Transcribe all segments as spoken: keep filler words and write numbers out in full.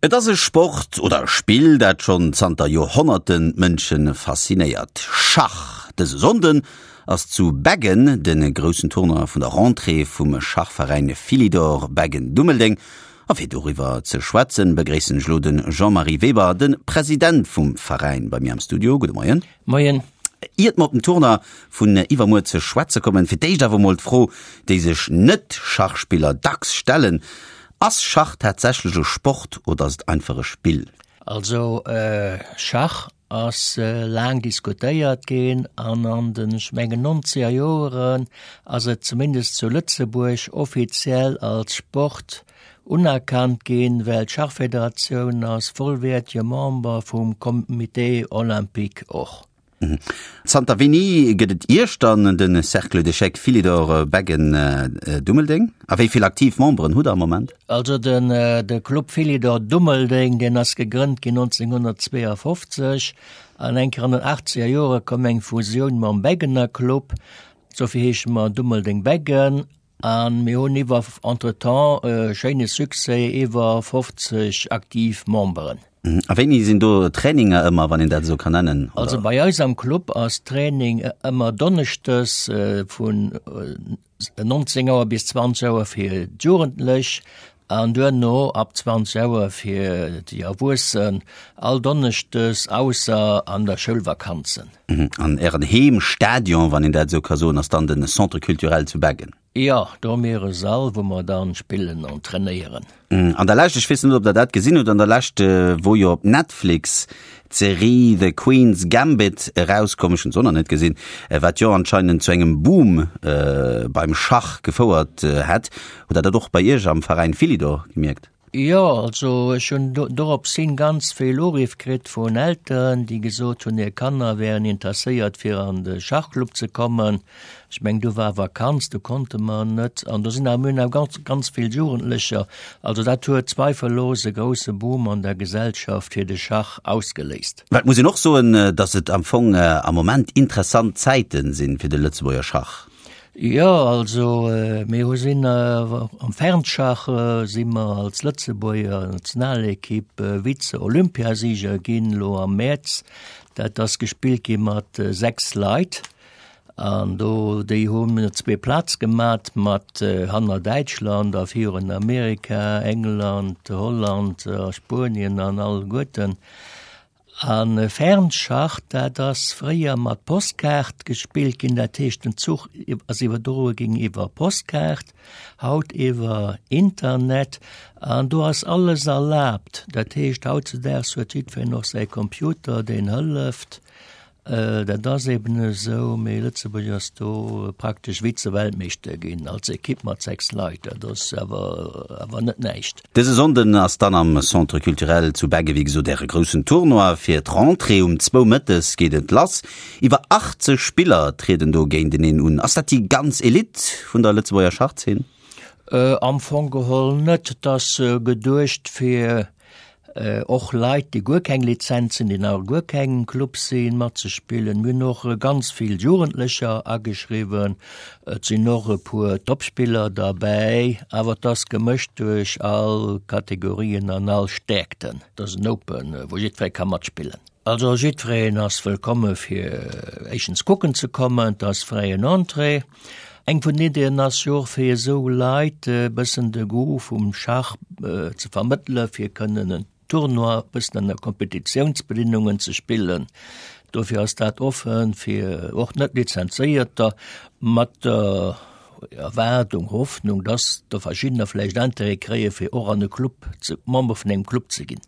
Et ass e Sport oder e Spill, dat schonn zanter Joerhonnerten d'Mënsche faszinéiert, Schach. Dëse Sonnden ass zu Beggen de groussen Tournoi vun der Rentrée vum Schachveräin Philidor Beggen-Dummeldeng. A fir doriwwer ze schwätzen, begréissen ech elo de Jean-Marie Weber, de President vum Veräin, bei mir am Studio. Gudde Moien. Moien. Iert mer op den Tournoi vun iwwermuer ze schwätze kommen, fir d'éischt awer mol d'Fro, déi sech Net-Schachspiller dacks stellen, Ass Schach tatsächlech e Sport oder ass et einfach e Spill? Also Schach ass laang diskutéiert ginn an an den, ech mengen, nonzeger Joeren ass et zumindest zu Lëtzebuerg offiziell als Sport unerkannt ginn, well d'Schachfederatioun ass vollwäertege Member vum Comité olympique och. Zanter wéini gëtt et Iech dann, de Cercle d'échecs Philidor Beggen Dummeldeng? A wéi vill aktiv Memberen hutt der am Moment? Also den de Club Philidor Dummeldeng, deen ass gegrënnt ginn nonzénghunnertzweeafofzeg an eng Kéier an den achtzeger Jore koum eng Fusioun mam Beggener Club, dofir heesche mer Dummeldeng-Beggen. A mir hunn iwwer entretemps e schéine Succès, iwwer fofzeg aktiv Memberen. A wéini sinn do Traininger ëmmer, wann een dat esou kann nennen? Also bei eis am Club ass Training ëmmer donneschdes vun nonzéng Auer bis zwanzeg Auer fir d'Jugendlech an duerno ab zwanzeg Auer fir déi Erwuessen, all donneschdes ausser an der Schoulvakanzen. An Ären Heemstadion, wann een dat esou ka soen, ass dann de Centre culturel zu Beggen? Jo, do hu mir e Sall, wou mer dann spillen an trainéieren. An der Lescht, ech weess net, ob Der dat gesinn hutt, an der Lescht wor jo op Netflix d'Serie The Queen's Gambit erauskomm, ech hunn se och nach net gesinn, wat jo anscheinend zu engem Boom beim Schach gefouert hätt. Hutt Der dat och bei Iech am Veräin Philidor gemierkt? Jo, also ech hunn dorops hin ganz vill Uriff kritt vun Elteren, déi gesot hunn, hir Kanner wären interesséiert fir an de Schachclub ze kommen. Ech mengen, du war Vakanz, du konnte mer net. An do sinn awer, mir hunn awer ganz, ganz vill Jugendlecher. Also dat huet zweifellos e grousse Boom an der Gesellschaft fir de Schach ausgeléist. Mä et muss een och soen, datt et am Fong am Moment interessant Zäite sinn fir de Lëtzebuerger Schach. Jo, also mir hu sinn am Fernschach si mer als Lëtzebuerger Nationalekipp Vize-Olympiasieger ginn elo am Mäerz. Dat ass gespillt gi mat sechs Leit an do déi hu zwee Plaz gemat mat hanner Däitschland a virun Amerika, England, Holland a Spuenien an alleguerten. A Fernschach, dat ass fréier mat Postkaart gespillt ginn, dat heescht den Zuch ass iwwerdroe ginn iwwer Postkaart, haut iwwer Internet an do ass alles erlaabt. Dat heescht hautzedaags huet jiddwereen och säi Computer, deen hëlleft. Dat ass eben esou, mee Lëtzebuerg ass do praktesch Vize-Weltmeeschter ginn als Ekipp mat sechs Leit. Dat ass awer awer net näischt. Dëse Sonnden ass dann am Centre Culturel zu Beggen, wéi gesot, Äre groussen Tournoi fir d'Rentrée. Um zwou mëttes geet et lass. Iwwer achtzeg Spiller trieden do géinteneen un. Ass dat déi ganz Elite vun der Lëtzebuerger Schachzeen? Am Fong geholl net. Et ass geduecht fir Och Leit, déi guer keng Lizenz hunn, déi nach a guer kengem Club sinn, matzespillen. Mir hunn och ganz vill Jugendlecher ageschriwwen. Et sinn och e puer Topspiller derbäi, awer et ass gemëscht duerch all Kategorien an all Stäerkten. Et ass en Open, wou jiddweree ka matspillen. Also jiddwereen ass wëllkomme fir éischtens kucken ze kommen, et ass fräien Entrée. Eng vun den Iddien ass jo och fir esou Leit e bëssen de Goût vum Schach ze vermëttele fir kënnen en Tournoi e bëssen ënner Kompetitiounsbedingungen ze spillen. Dofir ass dat offen fir och net Lizenzéierter mat der Erwaardung, Hoffnung, dass der verschiddener vläicht Intérêt kréie fir och an e Club ze, Member vun engem Club ze ginn.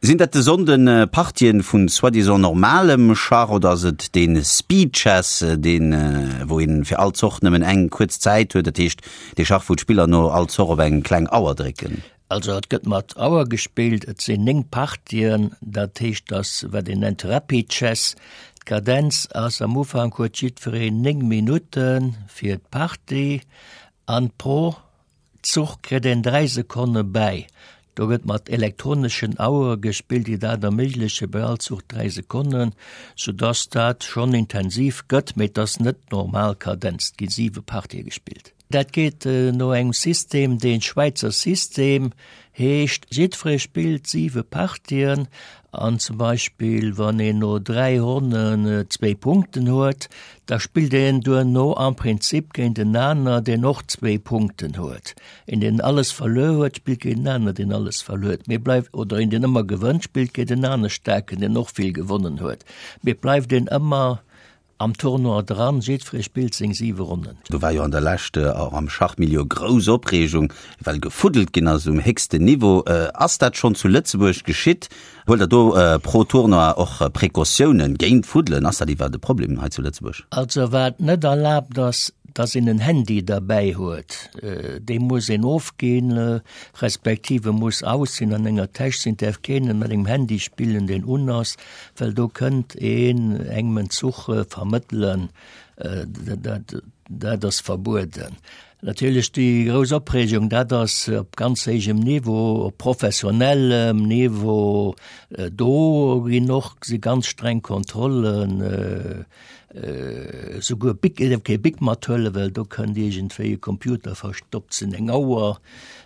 Sinn dat de Sonnden Partien vun soi-disant normalem Schach oder ass et dee Speed Chess, deen wou een fir all Zoch nëmmen eng kuerz Zäit huet, dat heescht dee Schach wou d'Spiller no all Zoch op eng kleng Auer drécken? Also et gëtt mat Auer gespillt, et sinn néng Partien, dat heescht dass wat een nennt Rapid Chess. D'Kadenz ass, am Ufank huet jiddwereen néng Minutte fir d'Partie an pro Zuch kritt een dräi Sekonne bäi. Do gëtt mat elektroneschen Auere gespillt, déi dat erméigleche bei all Zuch dräi Sekonnen, soudass dat schonn intensiv gëtt, mee et ass net normal Kadenz. Et gi siwe Partië gespillt. Dat geet no engem System, dee Schwäizer System heescht, jiddweree spillt siwe Partien an zum Beispill wann een no dräi Ronnen zwee Punkten huet, da spillt een duerno am Prinzip géint en aner, deen och zwee Punkten huet. Een deen alles verluer huet, spillt géint en aner, deen alles verluer huet. Mee bleift, oder een deen ëmmer gewënnt, spillt géint en aner Staarken, deen och vill gewonnen huet. Mee bleift een ëmmer am Tournoi dran, jiddweree spillt seng siwe Ronnen. Do war jo an der Lescht och am Schachmilieu grouss Opreegung, well gefuddelt ginn ass um héchsten Niveau. Ass dat schonn zu Lëtzebuerg geschitt? Huelt der do pro Tournoi och Precautiounen géint Fuddelen? Ass dat iwwerhaapt e Problem hei zu Lëtzebuerg? Also wat net erlaabt ass, dass een en Handy derbäi huet. Dee muss een ofginn, respektiv e muss aus sinn, an enger Täsch sinn, däerf keen mat engem Handy spillen, deen un ass, well do kënnt een engem en Zuch vermëttelen. Dat, dat ass verbueden. Natierlech déi grouss Opreegung, dat ass op ganz héijem Niveau, op professionellem Niveau. Do ginn och si ganz streng Kontrollen, esouguer Bic, ee däerf kee Bic mathuelen, well do kënnt iergendwéi e Computer verstoppt sinn, eng Auer.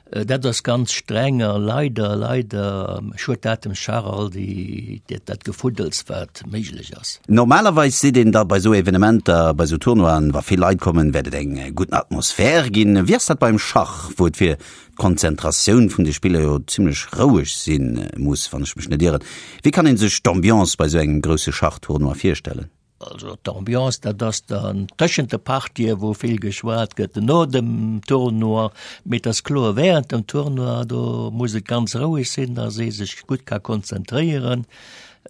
Dat ass ganz streng a leider, leider schued dat dem Schach all déi, dat Gefuddels, wat méiglech ass. Normalerweis seet een da bei esou Evenementer, bei esou Tournoien, wa vill Leit kommen, wäert et eng gutt Atmosphär ginn. Wéi ass dat beim Schach, wou et fir d'Konzentratioun vun de Spiller jo zimlech roueg si muss, wann ech mech net ieren? Wéi kann ee sech d'Ambiance bei esou engem grousse Schachtournoi virstellen? Also d'Ambiance, dat ass dann tëschent de Partien, wou vill geschwat gëtt, no dem Tournoi, mee et ass kloer, während dem Tournoi, do muss et ganz roueg sinn, dass ee sech gutt ka konzentréieren.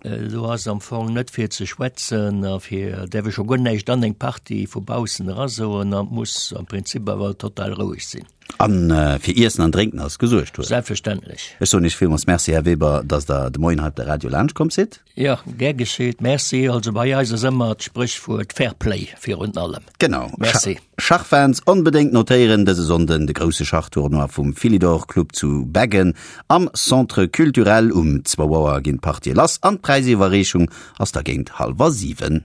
Do ass am Fong net fir ze schwätzen a fir, däerf ee scho guer näischt an eng Partie vu baussen erasoen an et muss am Prinzip awer total roueg sinn. An fir Iessen an Drénken ass gesuergt, oder? Selbstverständlech. Ech soen Iech villmools Merci, Här Weber, dass Der de Moien hei op de Radio laanscht komm sidd. Jo, gär geschitt. Merci. Also bei eis ass ëmmer d'Spréchwuert Fair Play virun allem. Genau. Merci. Schachfans onbedéngt notéieren, dëse Sonnden de grousse Schachtournoi vum Philidor Club zu Beggen am Centre Culturel. Um zwou Auer ginn d'Partië lass an d'Präisiwwerreechung ass da géint hallwer siwen.